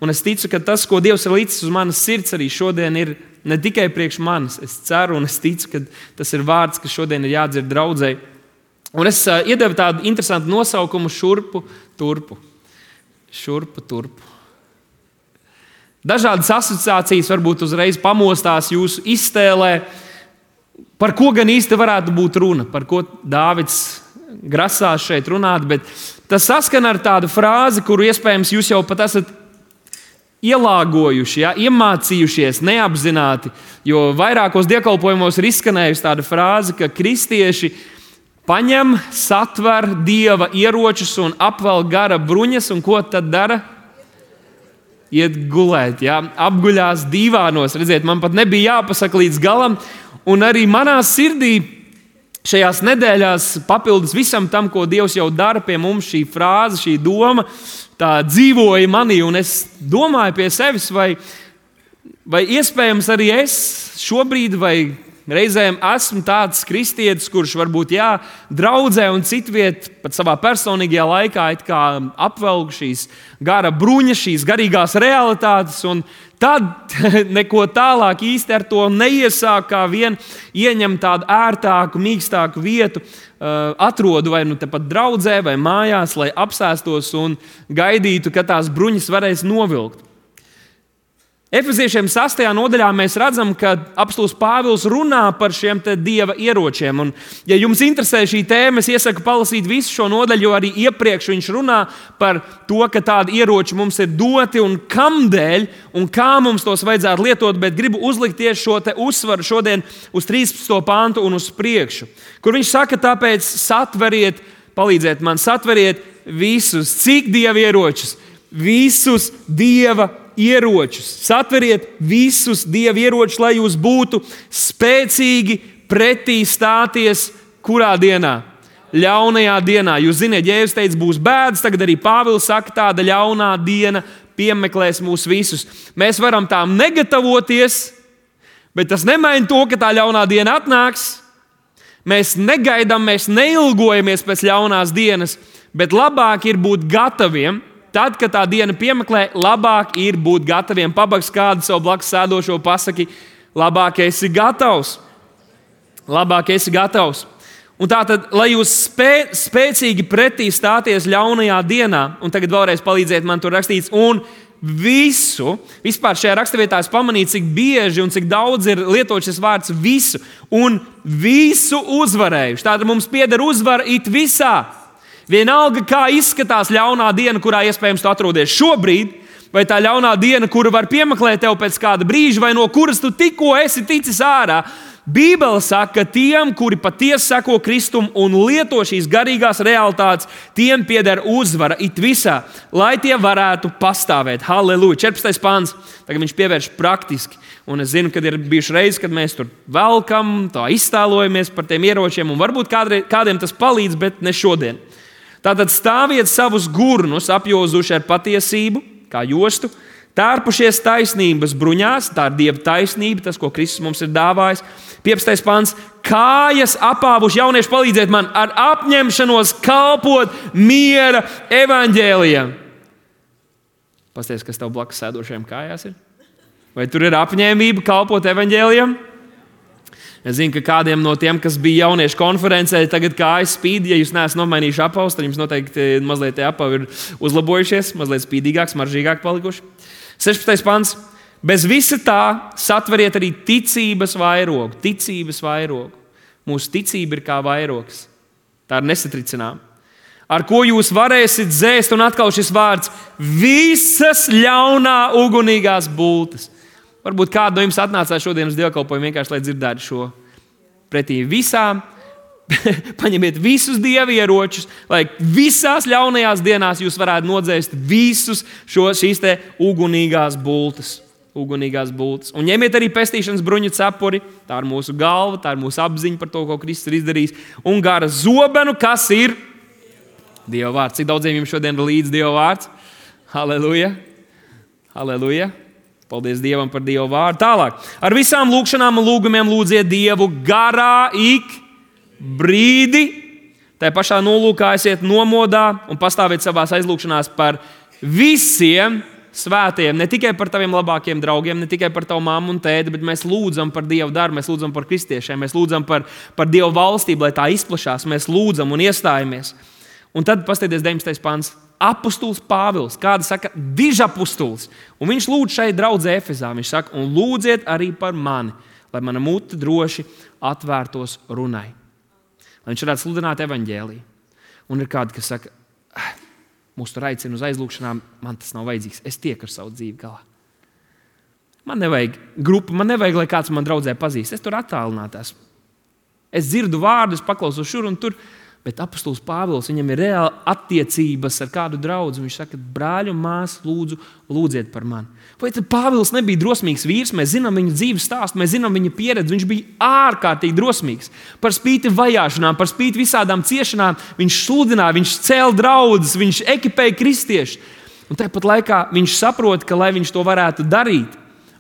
Un es ticu, ka tas, ko Dievs ir licis uz manas sirds arī šodien, ir ne tikai priekš manis. Es ceru un es ticu, ka tas ir vārds, kas šodien ir jādzird draudzei. Un es iedevu tādu interesantu nosaukumu šurpu turpu. Šurpu turpu. Dažādas asociācijas varbūt uzreiz pamostās jūsu iztēlē, par ko gan īsti varētu būt runa, par ko Dāvids grasās šeit runāt, bet tas saskan ar tādu frāzi, kuru iespējams jūs jau pat esat ielāgojuši, iemācījušies neapzināti, jo vairākos dievkalpojumos ir izskanējusi tāda frāze, ka kristieši paņem, satver Dieva ieročus un apvel gara bruņas, un ko tad dara? Iet gulēt, apguļās dīvānos. Redziet, man pat nebija jāpasaka līdz galam, un arī manā sirdī šajās nedēļās papildus visam tam, ko Dievs jau dara pie mums, šī frāze, šī doma, tā dzīvoja manī, un es domāju pie sevis, vai iespējams arī es šobrīd vai reizēm esmu tāds kristietis, kurš varbūt draudzē un citviet pat savā personīgajā laikā it kā apvelk šīs gara bruņas, šīs garīgās realitātes, un tad neko tālāk īsti ar to neiesāk, kā vien ieņem tādu ērtāku, mīkstāku vietu, atrodu vai nu tepat draudzē vai mājās, lai apsēstos un gaidītu, ka tās bruņas varēs novilkt. Efeziešiem 6. nodaļā mēs redzam, ka apostols Pāvils runā par šiem Dieva ieročiem. Un, ja jums interesē šī tēma, es iesaku palasīt visu šo nodaļu, jo arī iepriekš viņš runā par to, ka tādi ieroči mums ir doti un kamdēļ un kā mums tos vajadzētu lietot, bet gribu uzlikt tieši šo uzsvaru šodien uz 13. pantu un uz priekšu, kur viņš saka, tāpēc satveriet, palīdziet man, satveriet visus, cik Dieva ieročus, visus Dieva ieročus. Satveriet visus Dieva ieročus, lai jūs būtu spēcīgi pretī stāties kurā dienā? Ļaunajā dienā. Jūs zināt, Jēzus teica, būs bēdas, tagad arī Pāvils saka, tāda ļaunā diena piemeklēs mūs visus. Mēs varam tām negatavoties, bet tas nemaina to, ka tā ļaunā diena atnāks. Mēs negaidām, mēs neilgojamies pēc ļaunās dienas, bet labāk ir būt gataviem. Tad, kad tā diena piemeklē, labāk ir būt gataviem. Pabaks kādu savu blakus sēdošo pasaki, labāk esi gatavs. Labāk esi gatavs. Un tātad, lai jūs spēcīgi pretī stāties ļaunajā dienā, un tagad vēlreiz palīdziet man tur rakstīts, un vispār šajā raksturvietā es pamanīju, cik bieži un cik daudz ir lietots šis vārds visu, un visu uzvarējuši. Tātad mums pieder uzvara it visā. Vienalga, kā izskatās ļaunā diena, kurā iespējams tu atrodies šobrīd, vai tā ļaunā diena, kura var piemeklēt tev pēc kāda brīža, vai no kuras tu tikko esi ticis ārā. Bībele saka, ka tiem, kuri patiesi seko Kristum un lieto šīs garīgās realitātes, tiem pieder uzvara it visā, lai tie varētu pastāvēt. Halleluja! 14. pāns. Tagad viņš pievērš praktiski. Un es zinu, ka ir bijuši reizes, kad mēs tur velkam, tā iztēlojamies par tiem ieročiem, un varbūt kādiem tas palīdz, bet ne šodien. Tātad stāviet savus gurnus apjozuši ar patiesību, kā jostu, tērpušies taisnības bruņās, tā ir Dieva taisnība, tas, ko Kristus mums ir dāvājis. 15. pants, kājas apāvuši, jaunieši palīdziet man, ar apņemšanos kalpot miera evaņģēlijam. Pasties, kas tev blakus sēdošajām kājās ir? Vai tur ir apņēmība kalpot evaņģēlijam? Es zinu, ka kādiem no tiem, kas bija jauniešu konferencē, tagad kājas spīd. Ja jūs neesat nomainījuši apavus, tad jums noteikti mazliet tie apavi ir uzlabojušies, mazliet spīdīgāk, smaržīgāk palikuši. 16. pants. Bez visa tā satveriet arī ticības vairogu. Ticības vairogu. Mūsu ticība ir kā vairogs. Tā ir nesatricināma. Ar ko jūs varēsiet dzēst, un atkal šis vārds, visas ļaunā ugunīgās bultas. Varbūt kādu no jums atnācās šodien uz dievkalpojumu vienkārši, lai dzirdētu šo pretī visām. Paņemiet visus Dieva ieročus, lai visās ļaunajās dienās jūs varētu nodzēst visus šīs te ugunīgās bultas. Un ņemiet arī pestīšanas bruņu cepuri. Tā ir mūsu galva, tā ir mūsu apziņa par to, ko Kristus ir izdarījis. Un gara zobenu, kas ir Dieva vārds. Cik daudziem jums šodien ir līdz Dieva vārds? Halleluja! Halleluja! Paldies Dievam par Dieva vārdu. Tālāk. Ar visām lūgšanām un lūgumiem lūdziet Dievu garā ik brīdi. Tā pašā nolūkā esiet nomodā un pastāviet savās aizlūgšanās par visiem svētajiem, ne tikai par taviem labākiem draugiem, ne tikai par tavu mammu un tēti, bet mēs lūdzam par Dieva darbu, mēs lūdzam par kristiešiem, mēs lūdzam par Dieva valstību, lai tā izplašās, mēs lūdzam un iestājamies. Un tad paskatieties 19. pants. Apostuls Pāvils, kāda saka, dižapostuls, un viņš lūdz šai draudzē Efezā, viņš saka, un lūdziet arī par mani, lai mana mute droši atvērtos runai. Lai viņš varētu sludināt evaņģēliju. Un ir kādi, kas saka, mūs tur aicina uz aizlūgšanām, man tas nav vajadzīgs, es tieku ar savu dzīvi galā. Man nevajag grupu, man nevajag, lai kāds man draudzē pazīst, es tur attālinātās. Es dzirdu vārdus, paklausos šur un tur, bet apostols Pāvils, viņam ir reāli attiecības ar kādu draudzi. Viņš saka, brāļi un māsas, lūdziet par mani. Vai tad Pāvils nebija drosmīgs vīrs? Mēs zinām viņa dzīves stāstu, mēs zinām viņa pieredzi. Viņš bija ārkārtīgi drosmīgs. Par spīti vajāšanām, par spīti visādām ciešanām, viņš sludināja, viņš cēla draudzes, viņš ekipēja kristiešus. Un tāpat laikā viņš saprot, ka, lai viņš to varētu darīt,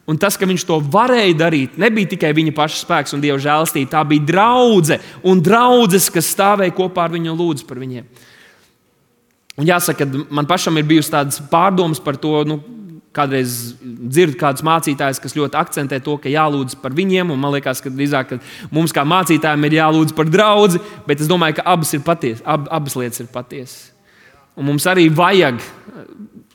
un tas, ka viņš to varēja darīt, nebija tikai viņa paša spēks un Dieva žēlastība. Tā bija draudze un draudzes, kas stāvēja kopā ar viņu un lūdza par viņiem. Un jāsaka, man pašam ir bijusi tādas pārdomas par to, kādreiz dzirdu kādus mācītājus, kas ļoti akcentē to, ka jālūdz par viņiem, un man liekas, ka drīzāk mums kā mācītājiem ir jālūdz par draudzi, bet es domāju, ka abas lietas ir patiesas. Un mums arī vajag.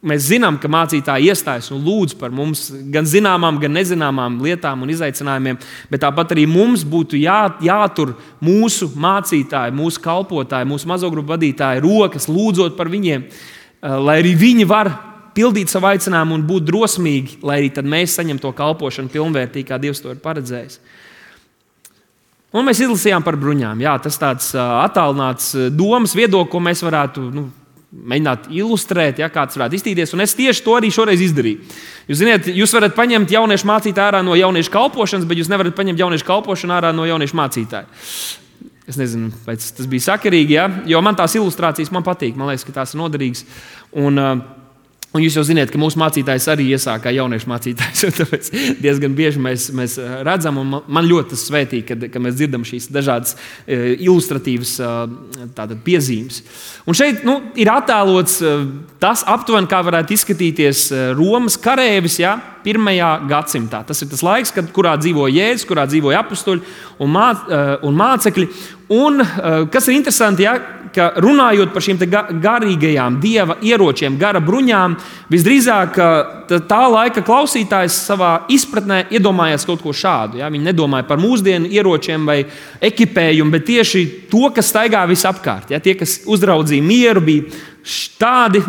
Mēs zinām, ka mācītāji iestājas un lūdz par mums gan zināmām, gan nezināmām lietām un izaicinājumiem, bet tāpat arī mums būtu jātur mūsu mācītāji, mūsu kalpotāji, mūsu mazo grupu vadītāji rokas, lūdzot par viņiem, lai arī viņi var pildīt savu aicinājumu un būt drosmīgi, lai arī tad mēs saņem to kalpošanu pilnvērtīgi, kā Dievs to ir paredzējis. Un mēs izlasījām par bruņām. Jā, tas tāds attālināts domas viedoklis, ko mēs varētu mēģināt ilustrēt, kā tas varētu iztīties. Un es tieši to arī šoreiz izdarīju. Jūs zināt, jūs varat paņemt jauniešu mācītāju ārā no jauniešu kalpošanas, bet jūs nevarat paņemt jauniešu kalpošanu ārā no jauniešu mācītāja. Es nezinu, vai tas bija sakarīgi, jo man tās ilustrācijas man patīk. Man liekas, ka tās ir noderīgas. Un jūs jau zināt, ka mūsu mācītājs arī iesāka jauniešu mācītājs. Tāpēc diezgan bieži mēs redzam, un man ļoti tas svētīgi, kad mēs dzirdam šīs dažādas ilustratīvas piezīmes. Un šeit ir attēlots tas aptuveni, kā varētu izskatīties Romas karēvis 1. gadsimtā. Tas ir tas laiks, kurā dzīvoja Jēzus, kurā dzīvoja apustuļi un mācekļi. Un kas ir interesanti, ka runājot par šīm garīgajām Dieva ieročiem, gara bruņām, visdrīzāk tā laika klausītājs savā izpratnē iedomājās kaut ko šādu. Viņi nedomāja par mūsdienu ieročiem vai ekipējumu, bet tieši to, kas staigā visapkārt. Tie, kas uzraudzīja mieru, bija tādi,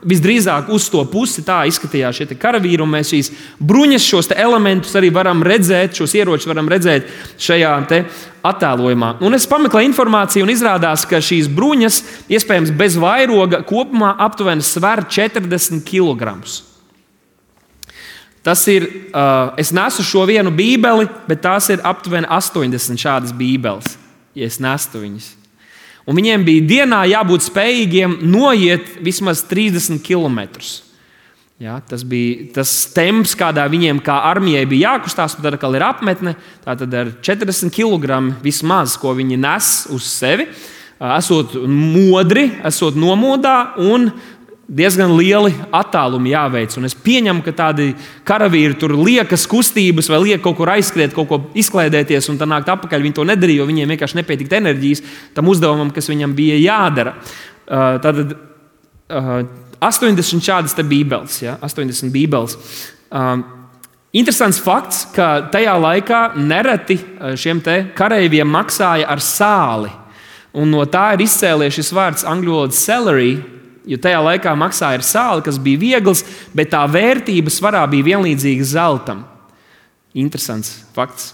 visdrīzāk uz to pusi tā izskatījās šie karavīri, un mēs šīs bruņas, šos elementus arī varam redzēt, šos ieročus varam redzēt šajā attēlojumā. Un es pameklēju informāciju, un izrādās, ka šīs bruņas, iespējams bez vairoga, kopumā aptuveni sver 40 kg. Tas ir, es nesu šo vienu bībeli, bet tās ir aptuveni 80 šādas bībeles, ja es nestu viņas. Un viņiem bija dienā jābūt spējīgiem noiet vismaz 30 km. Tas bija tas temps, kādā viņiem kā armijai bija jākustās, tad atkal ir apmetne. Tātad ar 40 kg vismaz, ko viņi nes uz sevi, esot modri, esot nomodā un diezgan lieli attālumi jāveic. Un es pieņemu, ka tādi karavīri tur liekas kustības vai liek kaut kur aizskriet, kaut ko izklaidēties un tā nākt atpakaļ. Viņi to nedarīja, jo viņiem vienkārši nepietika enerģijas tam uzdevumam, kas viņam bija jādara. Tātad 80 šādas bībeles. 80 bībeles. Interesants fakts, ka tajā laikā nereti šiem kareiviem maksāja ar sāli. Un no tā ir izcēlies šis vārds angļu valodā salary, jo tajā laikā maksāja ar sāli, kas bija viegls, bet tā vērtība svarā bija vienlīdzīga zeltam. Interesants fakts.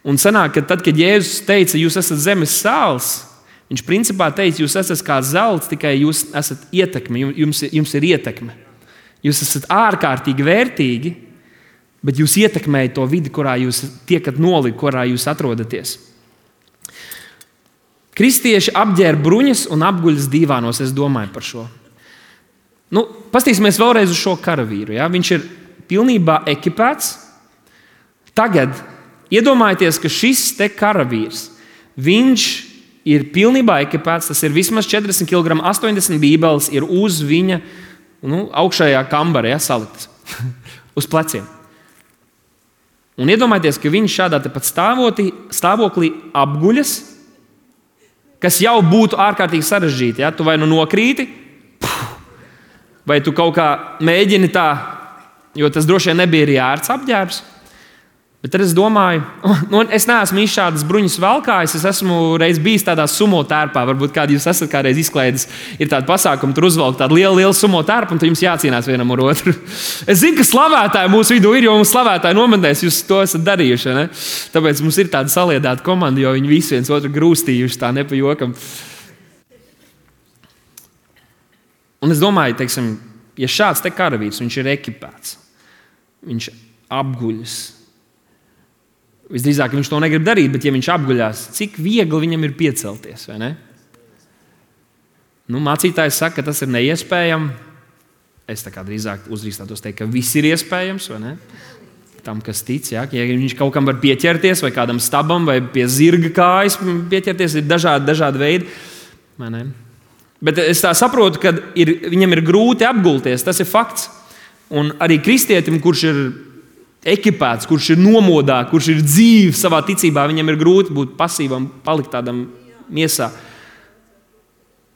Un sanāk, ka tad, kad Jēzus teica, jūs esat zemes sāls, viņš principā teica, jūs esat kā zelts, tikai jūs esat ietekme, jums ir ietekme. Jūs esat ārkārtīgi vērtīgi, bet jūs ietekmējat to vidi, kurā jūs tiekat nolīgt, kurā jūs atrodaties. Kristieši apģērba bruņas un apguļas dīvānos, es domāju par šo. Pastīsimies vēlreiz uz šo karavīru. Viņš ir pilnībā ekipēts. Tagad iedomājieties, ka šis karavīrs, viņš ir pilnībā ekipēts, tas ir vismaz 40 kg, 80 bībeles ir uz viņa augšējā kambarē saliktas uz pleciem. Un iedomājieties, ka viņš šādā tepat stāvoklī apguļas, kas jau būtu ārkārtīgi sarežģīti. Ja? Tu vai nokrīti, vai tu kaut kā mēģini tā, jo tas droši vien nebija arī ērts apģērbs. Bet tad es domāju, es neesmu īsti šādas bruņas valkājis, es esmu reiz bijis tādā sumo tērpā. Varbūt kādi jūs esat kādreiz izklaidis, ir tāda pasākuma, tur uzvelk tādu lielu sumo tērpu, un tad jums jācīnās vienam ar otru. Es zinu, ka slavētāji mūsu vidū ir, jo mums slavētāji nometnēs, jūs to esat darījuši. Ne? Tāpēc mums ir tāda saliedāta komanda, jo viņi visi viens otru grūstījuši tā nepajokam. Un es domāju, teiksim, ja šāds te karavīrs, viņš ir ekipēts, viņš apguļas. Visdrīzāk viņš to negrib darīt, bet ja viņš apguļās, cik viegli viņam ir piecelties, vai ne? Mācītājs saka, ka tas ir neiespējami. Es tā kā drīzāk uzdrīkstātos teikt, ka viss ir iespējams, vai ne? Tam, kas tic, ja viņš kaut kam var pieķerties, vai kādam stabam, vai pie zirga kājas pieķerties, ir dažādi veidi, vai ne? Bet es tā saprotu, ka viņam ir grūti apgulties, tas ir fakts. Un arī kristietim, kurš ir ekipēts, kurš ir nomodā, kurš ir dzīvs savā ticībā, viņam ir grūti būt pasīvam, palikt tādam miesā.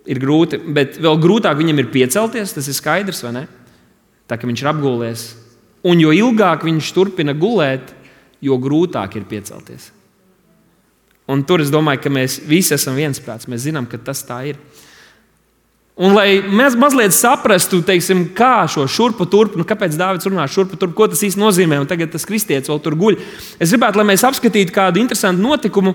Ir grūti, bet vēl grūtāk viņam ir piecelties, tas ir skaidrs, vai ne? Tā, ka viņš ir apgulies. Un jo ilgāk viņš turpina gulēt, jo grūtāk ir piecelties. Un tur es domāju, ka mēs visi esam viensprāts, mēs zinām, ka tas tā ir. Un, lai mēs mazliet saprastu, teiksim, kā šo šurpu turpu, kāpēc Dāvids runā šurpu turpu, ko tas īsti nozīmē, un tagad tas kristietis vēl tur guļ. Es gribētu, lai mēs apskatītu kādu interesantu notikumu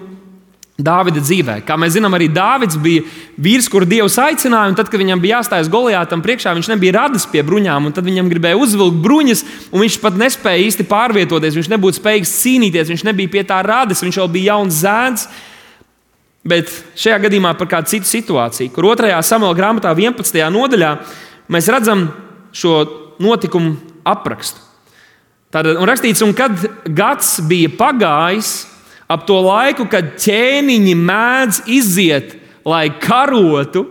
Dāvida dzīvē. Kā mēs zinām, arī Dāvids bija vīrs, kuru Dievs aicināja, un tad, kad viņam bija jāstājas Golijātam priekšā, viņš nebija radis pie bruņām, un tad viņam gribēja uzvilkt bruņas, un viņš pat nespēja īsti pārvietoties, viņš nebūtu spējīgs cīnīties, viņš nebija pie tā radis, viņš vēl bija jauns zēns. Bet šajā gadījumā par kādu citu situāciju, kur 2. Samuela grāmatā 11. nodaļā mēs redzam šo notikumu aprakstu. Tātad, un rakstīts, un kad gads bija pagājis, ap to laiku, kad ķēniņi mēdz iziet, lai karotu,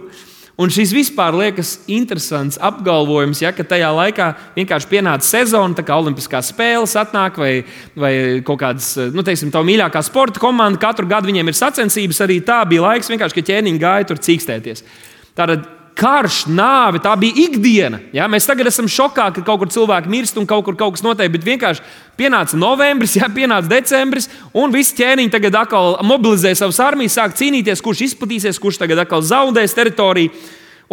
un šis vispār liekas interesants apgalvojums, ja, ka tajā laikā vienkārši pienāca sezona, tā kā olimpiskās spēles atnāk, vai kaut kādas, teiksim, tā mīļākā sporta komanda, katru gadu viņiem ir sacensības, arī tā bija laiks vienkārši, ka ķēniņi gāja tur cīkstēties. Tātad karš, nāve, tā bija ikdiena. Ja? Mēs tagad esam šokā, ka kaut kur cilvēki mirst un kaut kur kaut kas notiek, bet vienkārši pienāca novembris, pienāca decembris, un visi ķēniņi tagad atkal mobilizē savas armijas, sāk cīnīties, kurš izplatīsies, kurš tagad atkal zaudēs teritoriju.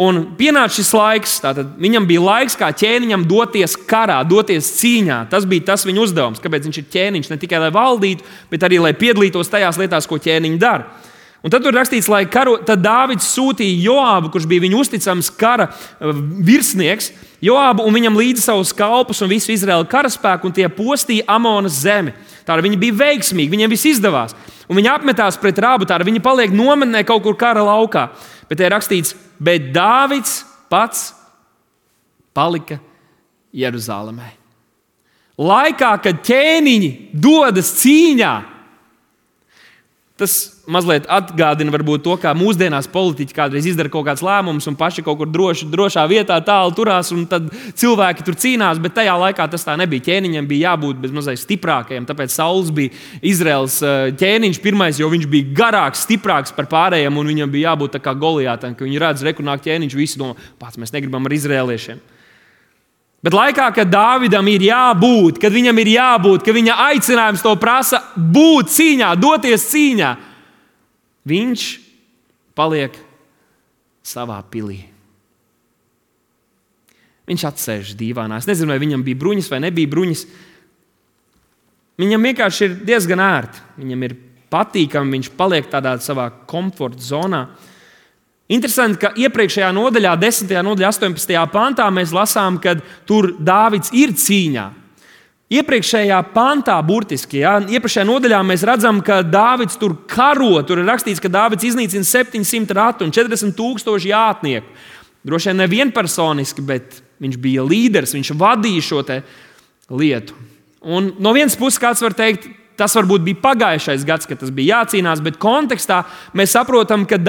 Un pienāca šis laiks, tātad viņam bija laiks kā ķēniņam doties karā, doties cīņā. Tas bija tas viņa uzdevums, kāpēc viņš ir ķēniņš, ne tikai lai valdītu, bet arī lai piedalītos tajās lietās, ko ķēniņi dara. Un tad tur rakstīts, tad Dāvids sūtīja Joābu, kurš bija viņa uzticams kara virsnieks, Joābu un viņam līdzi savus kalpus un visu Izraēla karaspēku, un tie postīja Amonas zemi. Tātad viņi bija veiksmīgi, viņiem viss izdevās. Un viņi apmetās pret Rabu, tātad viņi paliek nometnē kaut kur kara laukā. Bet te ir rakstīts, bet Dāvids pats palika Jeruzālēmē. Laikā, kad ķēniņi dodas cīņā, tas mazliet atgādina varbūt to, kā mūsdienās politiķi kādreiz izdara kaut kāds lēmums un paši kaut kur drošā vietā tālu turās, un tad cilvēki tur cīnās, bet tajā laikā tas tā nebija. Ķēniņam bija jābūt bezmazliet stiprākajam, tāpēc Sauls bija Izraels ķēniņš pirmais, jo viņš bija garāks, stiprāks par pārējiem, un viņam bija jābūt tā kā Golijātam, ka viņi redz, reku nāk ķēniņš, visi domā, pats mēs negribam ar izrēliešiem. Bet laikā, kad Dāvidam ir jābūt, kad viņam ir jābūt, ka viņa aicinājums to prasa būt cīņā, doties cīņā, viņš paliek savā pilī. Viņš atsēž dīvānā. Es nezinu, vai viņam bija bruņas vai nebija bruņas. Viņam vienkārši ir diezgan ērti. Viņam ir patīkami, viņš paliek tādā savā komforta zonā. Interesanti, ka iepriekšējā nodaļā, 10. nodaļā, 18. pantā mēs lasām, ka tur Dāvids ir cīņā. Iepriekšējā pantā, burtiski, iepriekšējā nodaļā mēs redzam, ka Dāvids tur karo. Tur ir rakstīts, ka Dāvids iznīcina 700 ratu un 40,000 jātnieku. Droši vien ne vienpersoniski, bet viņš bija līderis, viņš vadīja šo te lietu. Un no vienas puses kāds var teikt, tas varbūt bija pagājušais gads, kad tas bija jācīnās, bet kontekstā mēs saprotam, ka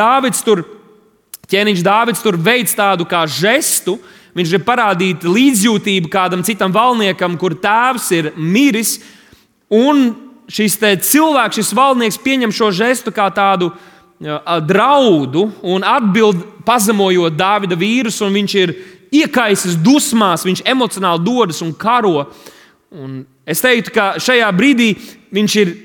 ķēniņš Dāvids tur veic tādu kā žestu, viņš grib parādīt līdzjūtību kādam citam valniekam, kur tēvs ir miris, un šis cilvēks, šis valdnieks pieņem šo žestu kā tādu draudu un atbild pazemojot Dāvida vīrus, un viņš ir iekaisis dusmās, viņš emocionāli dodas un karo. Un es teiktu, ka šajā brīdī viņš ir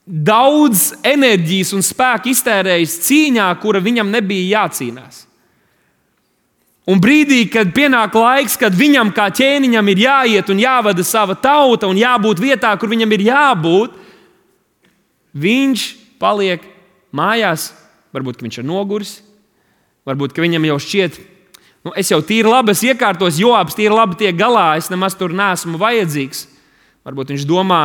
daudz enerģijas un spēka iztērējis cīņā, kura viņam nebija jācīnās. Un brīdī, kad pienāk laiks, kad viņam kā ķēniņam ir jāiet un jāvada sava tauta un jābūt vietā, kur viņam ir jābūt, viņš paliek mājās. Varbūt, ka viņš ir noguris, varbūt, ka viņam jau šķiet, es jau tīri labi, es iekārtos, Joabs tīri labi tiek galā, es nemaz tur neesmu vajadzīgs. Varbūt viņš domā,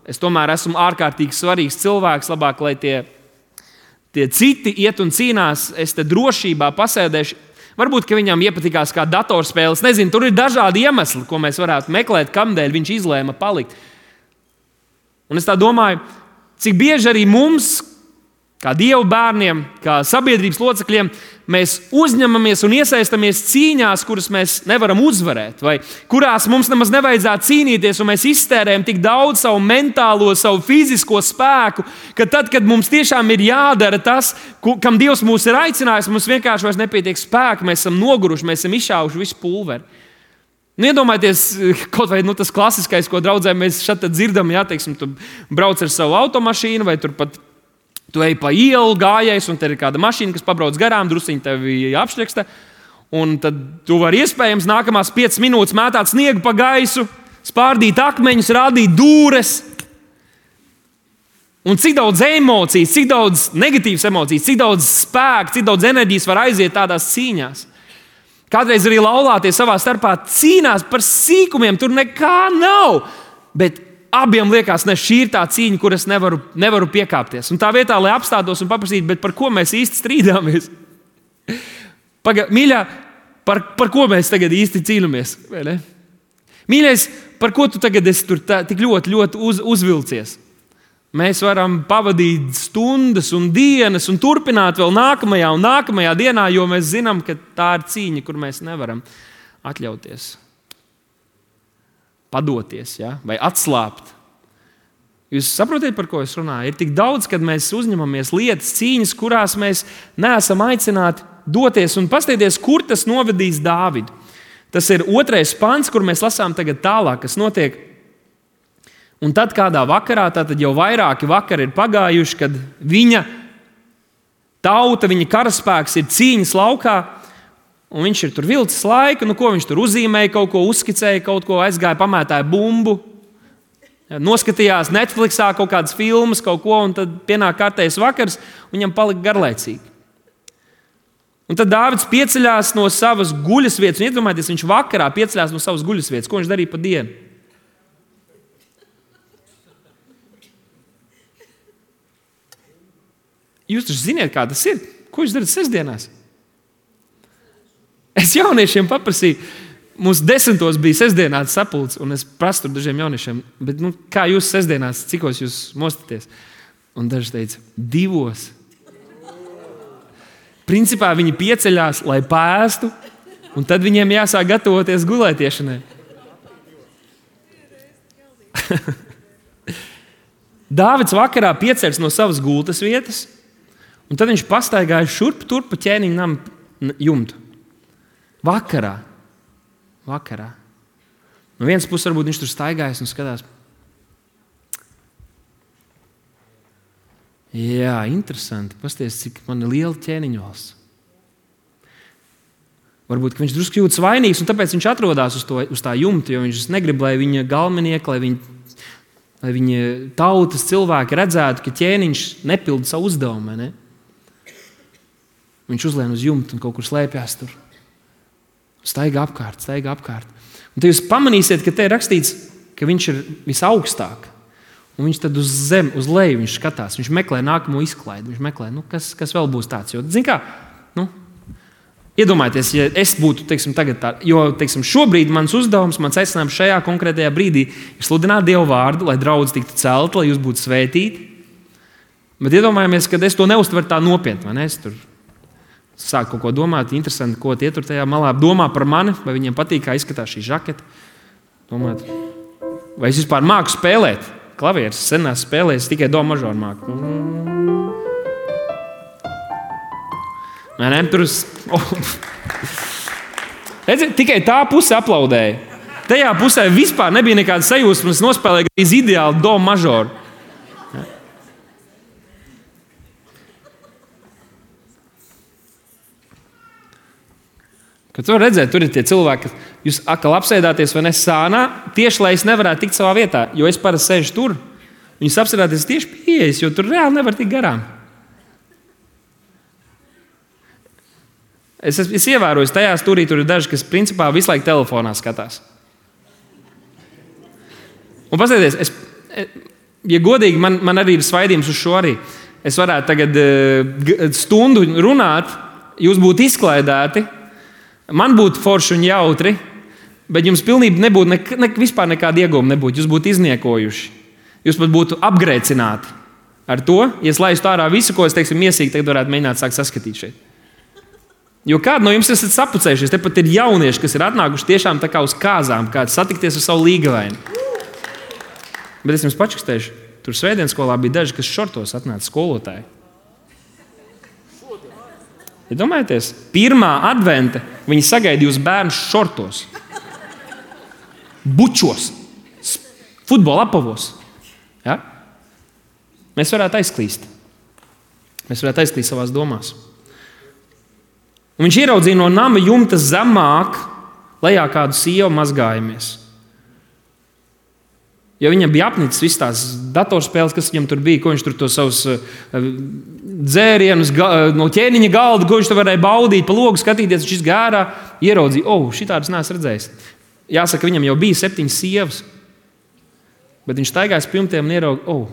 es tomēr esmu ārkārtīgi svarīgs cilvēks, labāk, lai tie citi iet un cīnās, es te drošībā pasēdēšu. Varbūt, ka viņam iepatikās kā datorspēles. Nezinu, tur ir dažādi iemesli, ko mēs varētu meklēt, kamdēļ viņš izlēma palikt. Un es tā domāju, cik bieži arī mums, kā Dieva bērniem, kā sabiedrības locekļiem, mēs uzņemamies un iesaistamies cīņās, kuras mēs nevaram uzvarēt, vai kurās mums nemaz nevajadzētu cīnīties, un mēs iztērējam tik daudz savu mentālo, savu fizisko spēku, ka tad, kad mums tiešām ir jādara tas, kam Dievs mūs ir aicinājis, mums vienkārši vairs nepietiek spēka, mēs esam noguruši, mēs esam izšāvuši visu pulveri. Iedomājieties, kaut vai tas klasiskais, ko draudzē mēs šeit dzirdam, teiksim, tu brauc ar savu automašīnu, vai turpat tu ej pa ielu gājējs, un te ir kāda mašīna, kas pabrauc garām, drusciņi tevi apšķeksta, un tad tu vari iespējams nākamās 5 minūtes mētāt sniegu pa gaisu, spārdīt akmeņus, rādīt dūres. Un cik daudz emocijas, cik daudz negatīvas emocijas, cik daudz spēka, cik daudz enerģijas var aiziet tādās cīņās. Kādreiz arī laulātie savā starpā cīnās par sīkumiem, tur nekā nav, bet abiem liekas, šī ir tā cīņa, kur es nevaru piekāpties. Un tā vietā, lai apstātos un paprasītu, bet par ko mēs īsti strīdāmies? Mīļā, par ko mēs tagad īsti cīnāmies? Mīļais, par ko tu tagad esi tur tik ļoti uzvilcies? Mēs varam pavadīt stundas un dienas un turpināt vēl nākamajā un nākamajā dienā, jo mēs zinām, ka tā ir cīņa, kur mēs nevaram atļauties padoties, vai atslābt. Jūs saprotat, par ko es runāju? Ir tik daudz, kad mēs uzņemamies lietas, cīņas, kurās mēs neesam aicināti doties un paskatīties, kur tas novedīs Dāvidu. Tas ir 2. pants, kur mēs lasām tagad tālāk, kas notiek. Un tad kādā vakarā, tātad jau vairāki vakari ir pagājuši, kad viņa tauta, viņa karaspēks ir cīņas laukā, un viņš ir tur vilcis laiku, ko viņš tur uzzīmēja, kaut ko uzskicēja, kaut ko aizgāja, pamētāja bumbu, noskatījās Netflixā kaut kādas filmas, kaut ko, un tad pienāk kārtējs vakars, un viņam palika garlaicīgi. Un tad Dāvids pieceļās no savas guļasvietas, un iedomājieties, viņš vakarā pieceļās no savas guļasvietas. Ko viņš darīja pa dienu? Jūs taču ziniet, kā tas ir? Ko jūs darat sestdienās? Es jauniešiem paprasīju, mums 10. bija sestdienās sapulce, un es prasu tur dažiem jauniešiem, bet kā jūs sestdienās, cikos jūs mostaties? Un daži teica, 2. Principā viņi pieceļās, lai pēstu, un tad viņiem jāsāk gatavoties gulētiešanai. Dāvids vakarā pieceļas no savas gultas vietas, un tad viņš pastaigāja šurp turp pa ķēniņa nama jumtu. Vakarā. No vienas puses varbūt viņš tur staigājas un skatās. Jā, interesanti. Pasties, cik man ir liela ķēniņvalsts. Varbūt, ka viņš drusku jūtas vainīgs, un tāpēc viņš atrodas uz tā jumta, jo viņš negrib, lai viņa galvenieki, lai viņa tautas cilvēki redzētu, ka ķēniņš nepilda savu uzdevumu. Ne? Viņš uzlien uz jumta un kaut kur slēpjas tur. Staigā apkārt. Un tad jūs pamanīsiet, ka te ir rakstīts, ka viņš ir visaugstāk. Un viņš tad uz zemi, uz leju viņš skatās. Viņš meklē nākamo izklaidi. Viņš meklē, kas vēl būs tāds. Jo, zin kā, iedomājieties, ja es būtu, tagad tā, jo, šobrīd mans uzdevums, mans aicinājums šajā konkrētajā brīdī ir sludināt Dievu vārdu, lai draudz tiktu celta, lai jūs būtu svētīti. Bet iedomājamies, ka es to neuztveru tā nopietni, vai ne? Es tur Sāk kaut ko domāt, interesanti, ko tie tur tajā malā domā par mani, vai viņiem patīk, kā izskatās šī žaketa. Domāt, vai es vispār māku spēlēt? Klavieres senās spēlēs, tikai do mažoru māku. Vai ne? Tur Redzi, tikai tā puse aplaudēja. Tajā pusē vispār nebija nekāda sajūsma, es nospēlēju gandrīz ideāli do mažoru. Kad tu redzēt, tur ir tie cilvēki, ka jūs atkal apsēdāties vai ne sānā, tieši lai es nevarētu tikt savā vietā, jo es parasti sēžu tur. Viņus apsēdāties tieši pieejas, jo tur reāli nevar tikt garām. Es ievēroju, tajā stūrī tur ir daži, kas principā visu laiku telefonā skatās. Un paskatieties, ja godīgi, man arī ir svaidījums uz šo arī. Es varētu tagad stundu runāt, jūs būtu izklaidēti, man būtu forši un jautri, bet jums pilnībā nebūtu vispār nekāda ieguvuma nebūtu. Jūs būtu izniekojuši. Jūs pat būtu apgrēcināti ar to, ja es laistu ārā visu, ko es, teiksim, miesīgi tagad varētu mēģināt sākt saskatīt šeit. Jo kādi no jums esat sapucējušies, te pat ir jaunieši, kas ir atnākuši tiešām tā kā uz kāzām, kāds satikties ar savu līgavaini. Bet es jums pačakstēšu, tur svētdienas skolā bija daži, kas šortos atnāca skolotāji. Ja domājieties, pirmā advente viņi sagaidīja uz bērnu šortos, bučos, futbola apavos. Ja? Mēs varētu aizklīst. Mēs varētu aizklīst savās domās. Un viņš ieraudzīja no nama jumta zemāk, lejā kādu sievu mazgājamies. Jo viņam bija apnicis visas tās datorspēles, kas viņam tur bija, ko viņš tur to savus dzērienus no ķēniņa galda, ko viņš tur varēja baudīt, pa logu skatīties, viņš izgārā, ieraudzīja, šitādas neesmu redzējis. Jāsaka, viņam jau bija 7 sievas, bet viņš staigājas pirmtiem un ieraudzīja,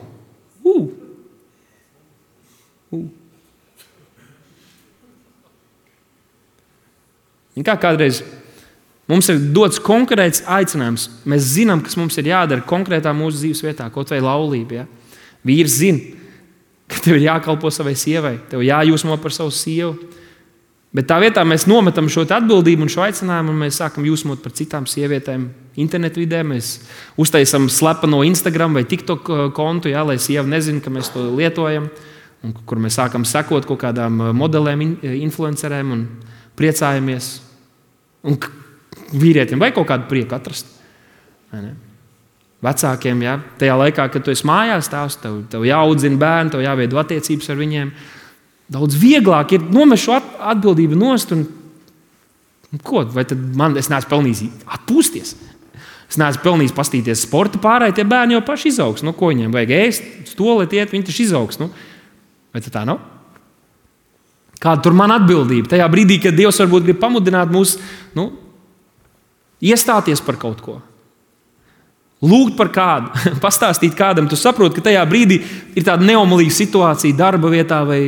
Kā kādreiz mums ir dots konkrēts aicinājums. Mēs zinām, kas mums ir jādara konkrētā mūsu dzīves vietā, kaut vai laulība. Ja? Vīrs zina, ka tev ir jākalpo savai sievai, tev jājūsmo par savu sievu. Bet tā vietā mēs nometam šo atbildību un šo aicinājumu, un mēs sākam jūsmot par citām sievietēm internetvidē. Mēs uztaisam slepeno Instagram vai TikTok kontu, ja, lai sieva nezina, ka mēs to lietojam, un kur mēs sākam sekot kaut kādām modelēm, influencerēm un priecājamies. Un vīrietim vai kaut kādu prieku atrast. Vecākiem, ja, tajā laikā, kad tu esi mājās tās, tev jāaudzina bērni, tev jāveido attiecības ar viņiem. Daudz vieglāk ir nomest šo atbildību nost. Ko? Vai tad es neesmu pelnījis atpūsties? Es neesmu pelnījis pastīties sporta pārēj, tie bērni jau paši izaugs. Ko viņiem vajag ēst, stolēt iet, viņi taču izaugs. Vai tā nav? Kāda tur man atbildība? Tajā brīdī, kad Dievs varbūt grib pamudināt mūs iestāties par kaut ko. Lūgt par kādu, pastāstīt kādam. Tu saproti, ka tajā brīdī ir tāda neomolīga situācija darba vietā vai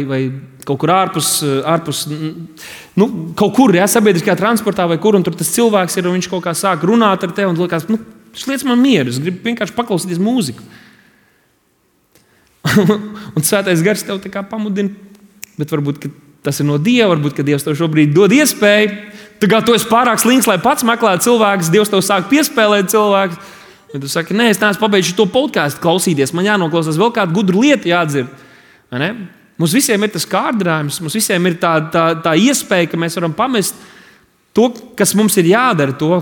kaut kur ārpus kaut kur, ja, sabiedriskajā transportā vai kur, un tur tas cilvēks ir, un viņš kaut kā sāk runāt ar tevi, un liekas, šis lietas man mieru, es gribu vienkārši paklausīties mūziku. Un Svētais Gars tev tā kā pamudina, bet varbūt, ka tas ir no Dieva, varbūt, ka Dievs tev šobrīd dod iespēju. Tu esi pārāk slinks, lai pats meklētu cilvēkus, Dievs tev sāk piespēlēt cilvēkus. Ja tu saki, nē, es neesmu pabeidzu šo podkāstu klausīties, man jānoklausās vēl kādu gudru lietu jādzird. Mums visiem ir tas kārdinājums, mums visiem ir tā iespēja, ka mēs varam pamest to, kas mums ir jādara, to,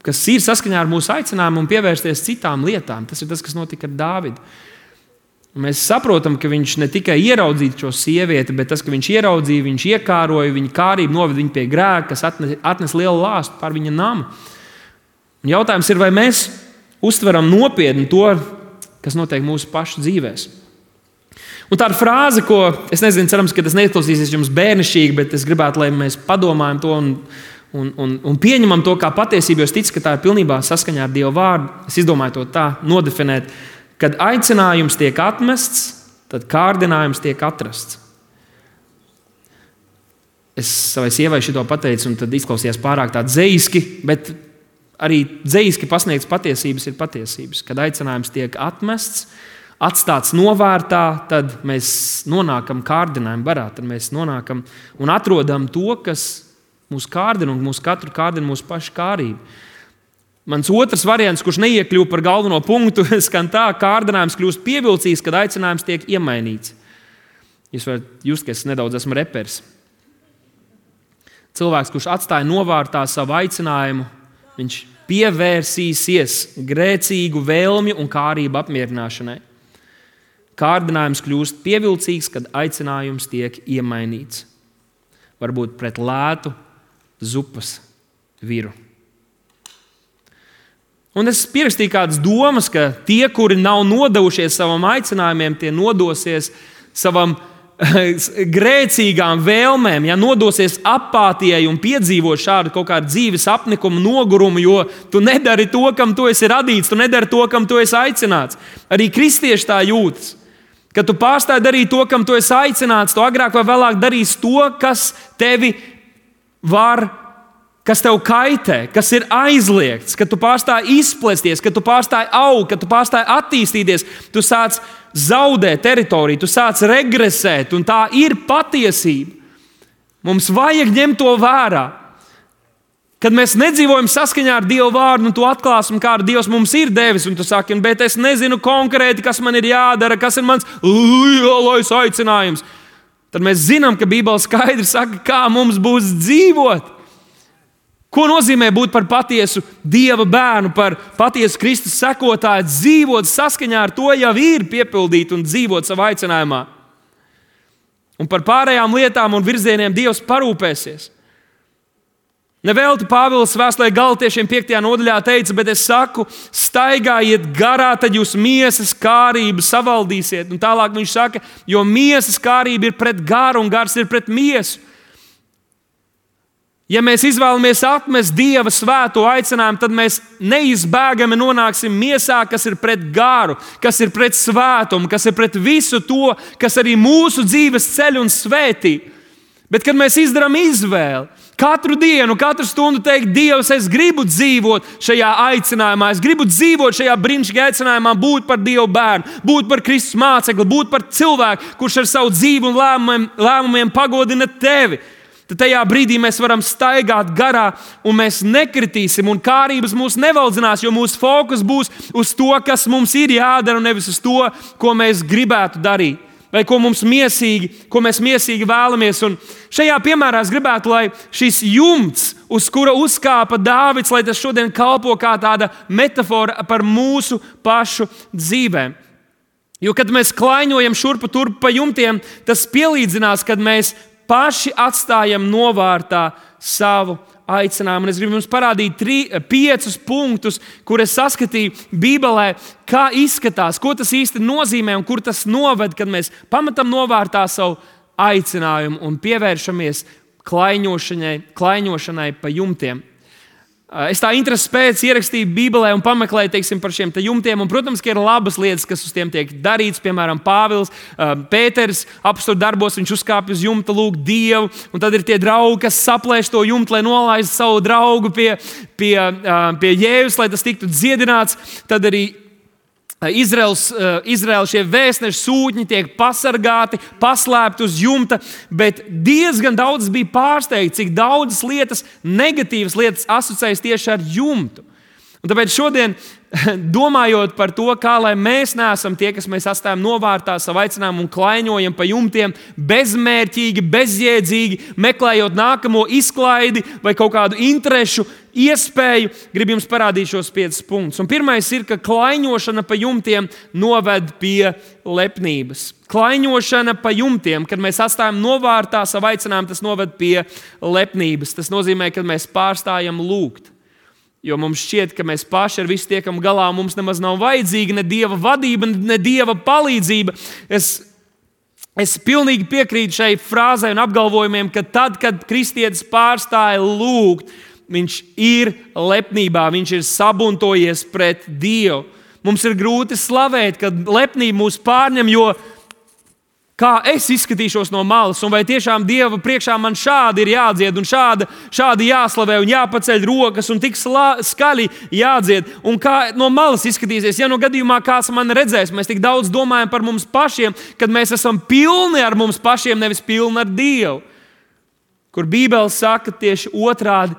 kas ir saskaņā ar mūsu aicinājumu un pievērsties citām lietām. Tas ir tas, kas notika ar Dāvidu. Mēs saprotam, ka viņš ne tikai ieraudzīja šo sievieti, bet tas, ka viņš ieraudzīja, viņš iekāroja, viņa kārību noveda viņu pie grēka, kas atnes lielu lāstu pār viņa namu. Un jautājums ir, vai mēs uztveram nopietni to, kas notiek mūsu pašu dzīvēs. Un tā ir frāze, ko, es nezinu, cerams, ka tas neizklausīsies jums bērnišķīgi, bet es gribētu, lai mēs padomājam to un pieņemam to kā patiesību, jo es ticu, ka tā ir pilnībā saskaņā ar Dieva vārdu. Es izdomāju to tā nodefinēt. Kad aicinājums tiek atmests, tad kārdinājums tiek atrasts. Es savai sievai šito pateicu, un tad izklausījās pārāk tā dzejiski, bet arī dzejiski pasniegts patiesības ir patiesības. Kad aicinājums tiek atmests, atstāts novārtā, tad mēs nonākam kārdinājuma barā. Tad mēs nonākam un atrodam to, kas mūs kārdina, un mūsu katru kārdina mūsu pašu kārību. Mans otrs variants, kurš neiekļūst par galveno punktu, skan tā: kārdinājums kļūst pievilcīgs, kad aicinājums tiek iemainīts. Jūs varat just, ka es nedaudz esmu reperis. Cilvēks, kurš atstāja novārtā savu aicinājumu, viņš pievērsīsies grēcīgu vēlmju un kārību apmierināšanai. Kārdinājums kļūst pievilcīgs, kad aicinājums tiek iemainīts. Varbūt pret lētu zupas viru. Un es pierakstīju kādas domas, ka tie, kuri nav nodevušies savam aicinājumiem, tie nodosies savam grēcīgām vēlmēm, nodosies apātijai un piedzīvot šādu kaut kādu dzīves apnikumu, nogurumu, jo tu nedari to, kam tu esi radīts, tu nedari to, kam tu esi aicināts. Arī kristieši tā jūtas. Kad tu pārstāji darīt to, kam tu esi aicināts, tu agrāk vai vēlāk darīsi to, kas tevi kas tev kaitē, kas ir aizliegts, kad tu pārstāji izplesties, kad tu pārstāji augt, kad tu pārstāji attīstīties, tu sāc zaudēt teritoriju, tu sāc regresēt, un tā ir patiesība. Mums vajag ņemt to vērā. Kad mēs nedzīvojam saskaņā ar Dieva vārdu, un tu atklāsim, kādu Dievs mums ir devis, un tu saki, bet es nezinu konkrēti, kas man ir jādara, kas ir mans lielais aicinājums, tad mēs zinām, ka Bībele skaidri saka, kā mums būs dzīvot. Ko nozīmē būt par patiesu Dieva bērnu, par patiesu Kristus sekotāju, dzīvot saskaņā ar to jau ir piepildīt un dzīvot savā aicinājumā. Un par pārējām lietām un virzieniem Dievs parūpēsies. Nevelti Pāvils vēstulē Galatiešiem 5. nodaļā teica, bet es saku, staigājiet garā, tad jūs miesas kārību savaldīsiet. Un tālāk viņš saka, jo miesas kārība ir pret garu un gars ir pret miesu. Ja mēs izvēlamies atmest Dieva svēto aicinājumu, tad mēs neizbēgami nonāksim miesā, kas ir pret garu, kas ir pret svētumu, kas ir pret visu to, kas arī mūsu dzīves ceļ un svētī. Bet, kad mēs izdarām izvēli, katru dienu, katru stundu teikt, Dievs, es gribu dzīvot šajā aicinājumā, es gribu dzīvot šajā brīnišķīgajā aicinājumā, būt par Dieva bērnu, būt par Kristus mācekli, būt par cilvēku, kurš ar savu dzīvi un lēmumiem pagodina tevi. Tad tajā brīdī mēs varam staigāt garā, un mēs nekritīsim, un kārības mūs nevaldzinās, jo mūsu fokus būs uz to, kas mums ir jādara, un nevis uz to, ko mēs gribētu darīt, vai ko mēs miesīgi vēlamies. Un šajā piemērā es gribētu, lai šis jumts, uz kura uzkāpa Dāvids, lai tas šodien kalpo kā tāda metafora par mūsu pašu dzīvēm. Jo, kad mēs klaiņojam šurpu turpu pa jumtiem, tas pielīdzinās, kad mēs paši atstājam novārtā savu aicinājumu. Un es gribu jums parādīt 5 punktus, kur es saskatīju Bībelē, kā izskatās, ko tas īsti nozīmē un kur tas noved, kad mēs pametam novārtā savu aicinājumu un pievēršamies klaiņošanai pa jumtiem. Es tā intereses pēc ierakstīju Bībelē un pameklēju, par šiem jumtiem. Un, protams, ka ir labas lietas, kas uz tiem tiek darīts. Piemēram, Pāvils, Pēters apostolu darbos, viņš uzkāpj uz jumta, lūgt Dievu. Un tad ir tie draugi, kas saplēš to jumtu, lai nolaistu savu draugu pie Jēzus, lai tas tiktu dziedināts. Tad arī Izraēla šie vēstneši sūtņi tiek pasargāti, paslēpti uz jumta, bet diezgan daudz bija pārsteigti, cik daudzas lietas, negatīvas lietas asociējas tieši ar jumtu. Un tāpēc šodien, domājot par to, kā lai mēs neesam tie, kas mēs atstājam novārtā savu aicinājumu un klaiņojam pa jumtiem, bezmērķīgi, bezjēdzīgi, meklējot nākamo izklaidi vai kaut kādu interešu iespēju, gribu jums parādīt šos 5 punktus. Un pirmais ir, ka klaiņošana pa jumtiem noved pie lepnības. Klaiņošana pa jumtiem, kad mēs atstājam novārtā savu aicinājumu, tas noved pie lepnības. Tas nozīmē, ka mēs pārstājam lūgt. Jo mums šķiet, ka mēs paši ar visu tiekam galā, mums nemaz nav vajadzīga ne Dieva vadība, ne Dieva palīdzība. Es pilnīgi piekrītu šai frāzei un apgalvojumiem, ka tad, kad kristietis pārstāja lūgt, viņš ir lepnībā, viņš ir sabuntojies pret Dievu. Mums ir grūti slavēt, kad lepnība mūs pārņem, jo Kā es izskatīšos no malas, un vai tiešām Dieva priekšā man šādi ir jādzied, un šādi jāslavē, un jāpaceļ rokas, un tik skaļi jādzied, un kā no malas izskatīsies. Ja no gadījumā kāds man redzēs, mēs tik daudz domājam par mums pašiem, kad mēs esam pilni ar mums pašiem, nevis pilni ar Dievu. Kur Bībele saka tieši otrādi,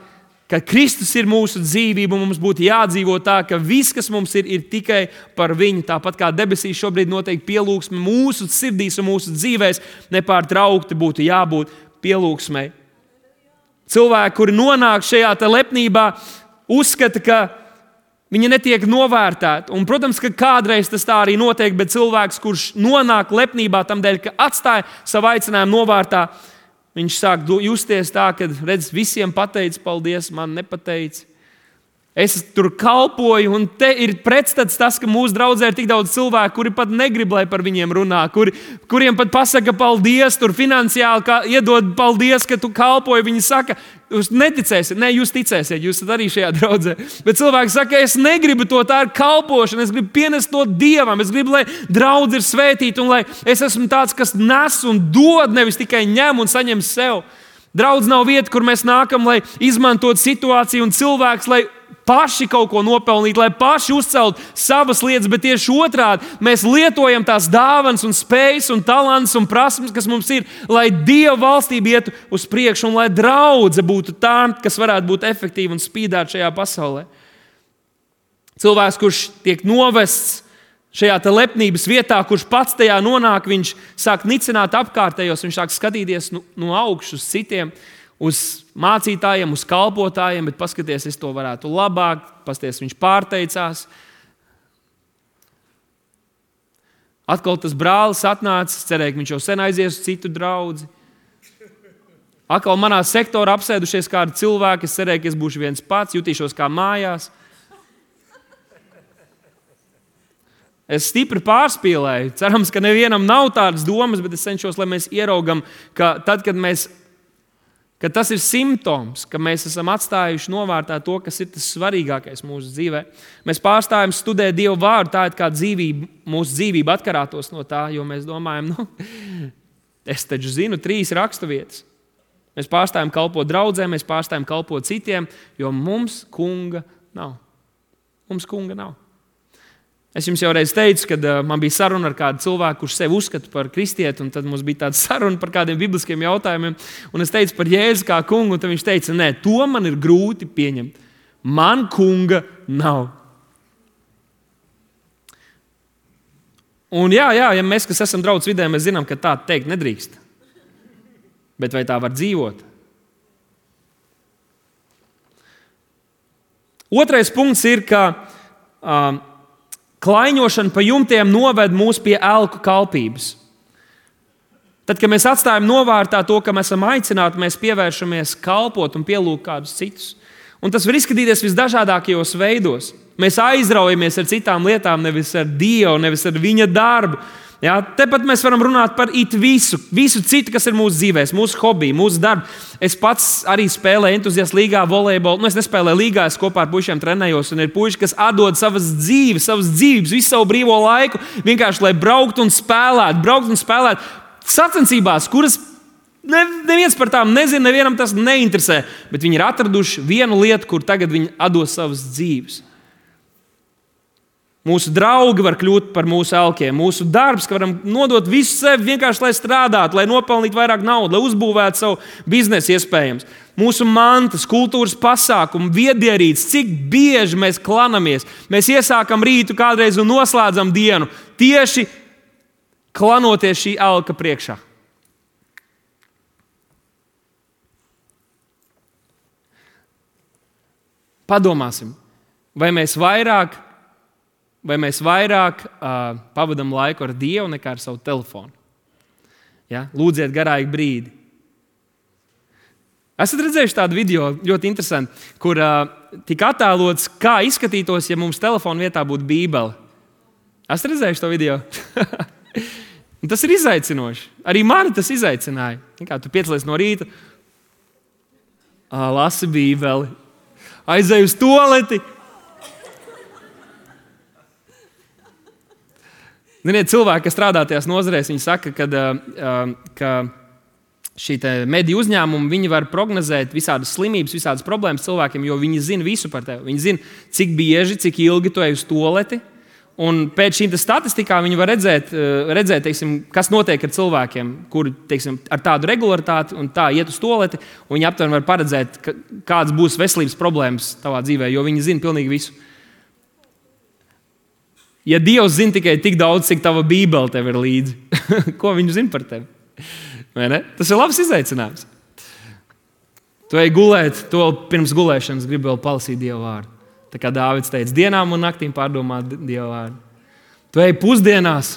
ka Kristus ir mūsu dzīvība, un mums būtu jādzīvo tā, ka viss, kas mums ir tikai par viņu. Tāpat kā debesīs šobrīd notiek pielūgsme mūsu sirdīs un mūsu dzīvēs, nepārtraukti būtu jābūt pielūgsmei. Cilvēki, kuri nonāk šajā lepnībā, uzskata, ka viņi netiek novērtēti. Un, protams, ka kādreiz tas tā arī notiek, bet cilvēks, kurš nonāk lepnībā tam dēļ, ka atstāja savu aicinājumu novārtā, viņš sāk justies tā, ka redz, visiem pateica paldies, man nepateica. Es tur kalpoju, un te ir pretstats tas, ka mūsu draudzē ir tik daudz cilvēku, kuri pat negrib, lai par viņiem runā, kuriem pat pasaka paldies, tur finansiāli iedod paldies, ka tu kalpoji. Viņi saka, jūs neticēsiet, ne, jūs ticēsiet, jūs esat arī šajā draudzē. Bet cilvēki saka, es negribu to, tā ir kalpošana, es gribu pienest to Dievam, es gribu, lai draudz ir svētīta, un lai es esmu tāds, kas nes un dod, nevis tikai ņem un saņem sev. Draudz nav vieta, kur mēs nākam, lai izmantot situāciju un cilvēks, lai paši kaut ko nopelnītu, lai paši uzceltu savas lietas, bet tieši otrādi mēs lietojam tās dāvanas un spējas un talants un prasmes, kas mums ir, lai Dieva valstība ietu uz priekšu un lai draudze būtu tā, kas varētu būt efektīva un spīdēt šajā pasaulē. Cilvēks, kurš tiek novests šajā lepnības vietā, kurš pats tajā nonāk, viņš sāk nicināt apkārtējos, viņš sāk skatīties no augšas uz citiem, uz mācītājiem, uz kalpotājiem, bet paskaties, es to varētu labāk, paskaties, viņš pārteicās. Atkal tas brālis atnācis, cerēja, ka viņš jau sen aizies uz citu draudzi. Atkal manā sektorā apsēdušies kādi cilvēki, es cerēju, ka es būšu viens pats, jutīšos kā mājās. Es stipri pārspīlēju. Cerams, ka nevienam nav tādas domas, bet es cenšos, lai mēs ieraugam, ka tad, kad tas ir simptoms, ka mēs esam atstājuši novārtā to, kas ir tas svarīgākais mūsu dzīvē. Mēs pārstājam studēt Dievu vārdu, tā ir kā dzīvība, mūsu dzīvība atkarātos no tā, jo mēs domājam, es taču zinu 3 raksturvietas. Mēs pārstājam kalpot draudzēm, mēs pārstājam kalpot citiem, jo mums kunga nav. Mums kunga nav. Es jums jau reiz teicu, kad man bija saruna ar kādu cilvēku, kurš sevi uzskata par kristieti, un tad mums bija tāda saruna par kādiem bibliskiem jautājumiem, un es teicu par Jēzu kā kungu, un tad viņš teica, nē, to man ir grūti pieņemt. Man kunga nav. Un jā, ja mēs, kas esam draudzes vidē, mēs zinām, ka tā teikt nedrīkst. Bet vai tā var dzīvot? Otrais punkts ir, ka klaiņošana pa jumtiem noved mūs pie elku kalpības. Tad, kad mēs atstājam novārtā to, ka mēs esam aicināti, mēs pievēršamies kalpot un pielūgt kādus citus. Un tas var izskatīties visdažādākajos veidos. Mēs aizraujamies ar citām lietām, nevis ar Dievu, nevis ar viņa darbu. Ja, tepat mēs varam runāt par visu citu, kas ir mūsu dzīvēs, mūsu hobiju, mūsu darbu. Es pats arī spēlēju entuziastu līgā volejbolu. Es nespēlēju līgā, es kopā ar puišiem trenējos. Un ir puiši, kas atdod savas dzīvības, visu savu brīvo laiku, vienkārši lai brauktu un spēlētu sacensībās, kuras neviens par tām nezina, nevienam tas neinteresē. Bet viņi ir atraduši vienu lietu, kur tagad viņi atdos savas dzīves. Mūsu draugi var kļūt par mūsu elkiem. Mūsu darbs, ka varam nodot visu sevi vienkārši, lai strādātu, lai nopelnītu vairāk naudas, lai uzbūvētu savu biznesu iespējams. Mūsu mantas, kultūras pasākumi, viedierītes, cik bieži mēs klanamies. Mēs iesākam rītu kādreiz un noslēdzam dienu tieši klanoties šī elka priekšā. Padomāsim, vai mēs vairāk pavadām laiku ar Dievu nekā ar savu telefonu. Ja? Lūdziet garīgi brīdi. Esat redzējuši tādu video, ļoti interesanti, kur tika attēlots, kā izskatītos, ja mums telefona vietā būtu Bībele. Esat redzējuši to video? Tas ir izaicinoši. Arī mani tas izaicināja. Kā tu piecelies no rīta, lasi Bībeli, aizej uz tualeti. Ziniet, cilvēki, kas strādā tajās nozarēs, viņi saka, ka šī mediju uzņēmumi, viņi var prognozēt visādas slimības, visādas problēmas cilvēkiem, jo viņi zina visu par tevi. Viņi zina, cik bieži, cik ilgi tu ej uz tualeti. Un pēc šīm statistikām viņi var redzēt teiksim, kas notiek ar cilvēkiem, kuri teiksim, ar tādu regularitāti un tā iet uz tualeti. Viņi aptuveni var paredzēt, kādas būs veselības problēmas tavā dzīvē, jo viņi zina pilnīgi visu. Ja Dievs zina tikai tik daudz, cik tava Bībele tev ir līdzi, ko viņš zina par tevi? Vai ne? Tas ir labs izaicinājums. Tu ej gulēt, to pirms gulēšanas gribi vēl palasīt Dieva vārdu. Tā kā Dāvids teica, dienām un naktīm pārdomā Dieva vārdu. Tu ej pusdienās,